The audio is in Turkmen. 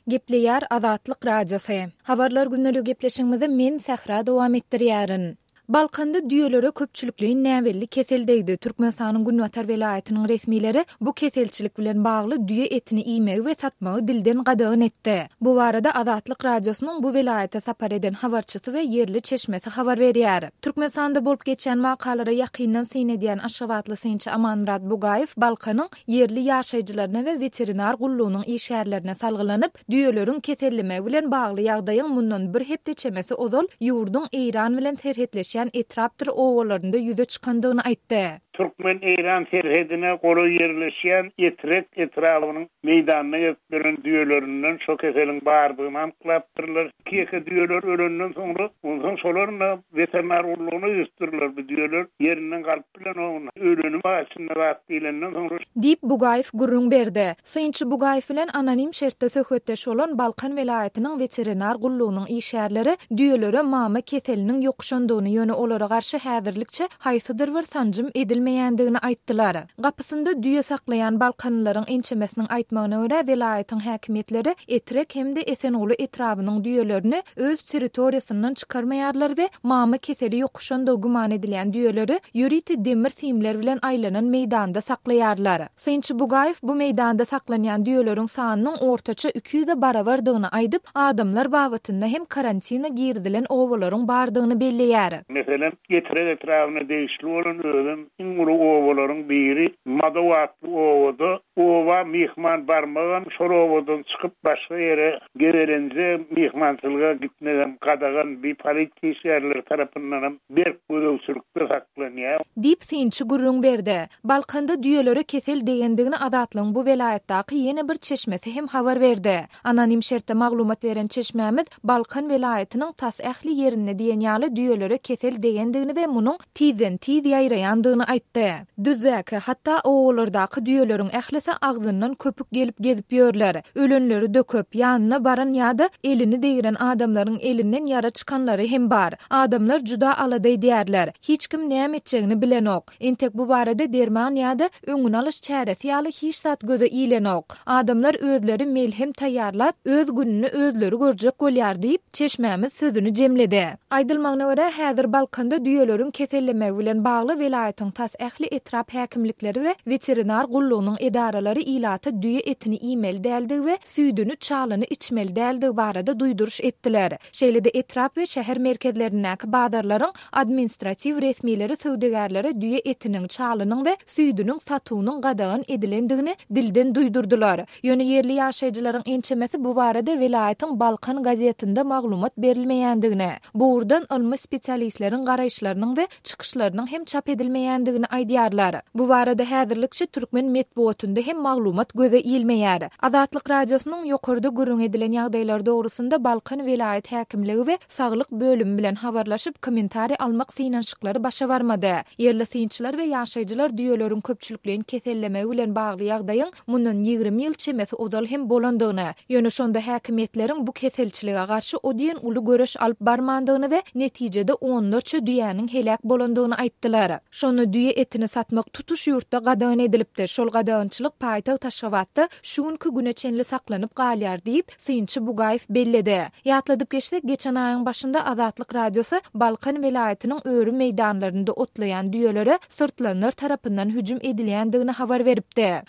Gepleýär Azatlyk Radiosy. Habarlar gündeligi gepleşigimizi men Sähra dowam etdirýärin. Balkanda düýelere köpçülikleýin näbelli kesel degdi. Türkmenistanyň günbatar welaýatynyň resmileri bu keselçilik bilen bagly düýe etini iýmegi we satmagy dilden gadagan etdi. Bu barada Azatlyk Radiosynyň bu welaýata sapar eden habarçysy we ýerli çeşmesi habar berýär. Türkmenistanda bolup geçýän wakalara ýakyndan syn edýän aşgabatly synçy Amanmyrat Bugaýew Balkanyň ýerli ýaşaýjylaryna we weterinar gullugynyň işgärlerine salgylanyp, düýeleriň kesellemegi bilen bagly ýagdaýyň mundan bir hepde çemesi ozal ýurduň Eýran bilen serhetleşýän etrapdyr obalarynda ýüze çykandygyny aýtdy. Türkmen-eýran serhedine golaý ýerleşýän Etrek etrabynyň meýdanyna gezip ýören düýelerinden şo keseliň bardygyny anyklapdyrlar. Iki-ýeke düýeler ölenden soňra, onsoň şolaryň-da weterinar gullugyna ýüzüpdirler. Bu düýeler ýerinden galyp bilenok, öleni bar içinde zat diýlenden soňra. Diýip, Bugaýew gürrüň berdi. Synçy Bugaýew bilen anonim şertde söhbetdeş bolan Balkan welaýatynyň weterinar gullugynyň işgärleri düýelere mama keseliniň ýokuşandygyny, ýöne olara garşy häzirlikçe haýsydyr bir sanjym edilmeýändigini aýtdylar. Gapysynda düýe saklaýan balkanlylaryň ençemesiniň aýtmagyna görä, welaýatyň häkimiýetleri Etrek hem-de Esenguly etrabynyň düýelerini öz territoriýasyndan çykarmaýarlar we mama keseli ýokuşandygy güman edilýän düýeleri ýörite demir simler bilen aýlanan meýdanda saklaýarlar. Synçy Bugaýew bu meýdanda saklanýan düýeleriň sanynyň ortaça 200-e barabardygyny aýdyp, adamlar babatynda hem karantina girizilen obalaryň bardygyny belleýär. Meselem, Etrek etrabyna degişli bolan özem iň uly obalaryň biri Madow atly obada oba myhman barmagam, şol obadan çykyp başga ýere gezelenje, myhmançylyga gitmegem gadagan, bi polisiýa işgärleri tarapyndanam berk gözegçilikde saklanýar. Diýip, synçy gürrüň berdi. Balkanda düýelere kesel degendigini Azatlygyň bu welaýatdaky ýene bir çeşmesi hem habar berdi. Anonim şertde maglumat beren çeşmämiz Balkan welaýatynyň tas ähli ýerinde diýen ýaly düýelere kesel degendigini we munuň tizden-tiz ýaýraýandygyny aýtdy. Düzdäki, hatda obalardaky düýeleriň ählisi agzyndan köpük gelip gezip ýörler. Ölenleri döküp, ýanyna baran ýa-da elini degren adamlaryň elinden ýara çykanlary hem bar. Adamlar juda alada edýärler. Hiç kim näme etjegini bilenok. Entek bu barada derman ýa-da öňüni alyş çäresi ýaly hiç zat göze ilenok. Adamlar özleri melhem taýýarlap, öz gününi özleri görjek bolýar diýip, çeşmämiz sözüni jemledi. Aýdylmagyna görä, häzir Balkanda düýeleriň kesellemegi bilen bagly welaýatyň tas ähli etrap häkimlikleri we weterinar gullugynyň edaralary ilata düýe etini iýmeli däldigi we süýdüni, çalyny içmeli däldigi barada duýduryş etdiler. Şeýle-de etrap we şäher merkezlerindäki bazarlaryň administratiw resmileri söwdagärlere düýe etiniň, çalynyň we süýdüniň satuwynyň gadagan edilendigini dilden duýdurdylar. Ýöne ýerli ýaşaýjylaryň ençemesi bu barada welaýatyň Balkan gazetinde maglumat berilmeýändigini, bu ugurdan ylmy spesialistleriň garaýyşlarynyň we çykyşlarynyň hem çap edilmeýändigini aýdýarlar. Bu barada häzirlikçe türkmen metbugatynda hem maglumat göze ilmeýär. Azatlyk Radiosynyň ýokarda gürrüň edilen ýagdaýlar dogrusynda Balkan welaýat häkimligi we saglyk bölümi bilen habarlaşyp, kommentariý almak synanyşyklary başa barmady. Ýerli synçylar we ýaşaýjylar düýeleriň köpçülikleýin kesellemegi bilen bagly ýagdaýyň mundan 20 ýyl çemesi ozal hem bolandygyny, ýöne şonda häkimiýetleriň bu keselçilige garşy o diýen uly göreş alyp barmandygyny we netijede onlarça düýäniň heläk bolandygyny aýtdylar. Şonda düýe etini satmak tutuş ýurtda gadagan edilipdi, şol gadagançylyk paýtagt Aşgabatda şu günki güne çenli saklanyp galýar diýip, synçy Bugaýew belledi. Ýatladyp geçsek, geçen aýyň başynda Azatlyk Radiosy Balkan welaýatynyň öri meýdanlarynda otlaýan düýelere syrtlanlar tarapyndan hüjüm edilýändigini habar beripdi.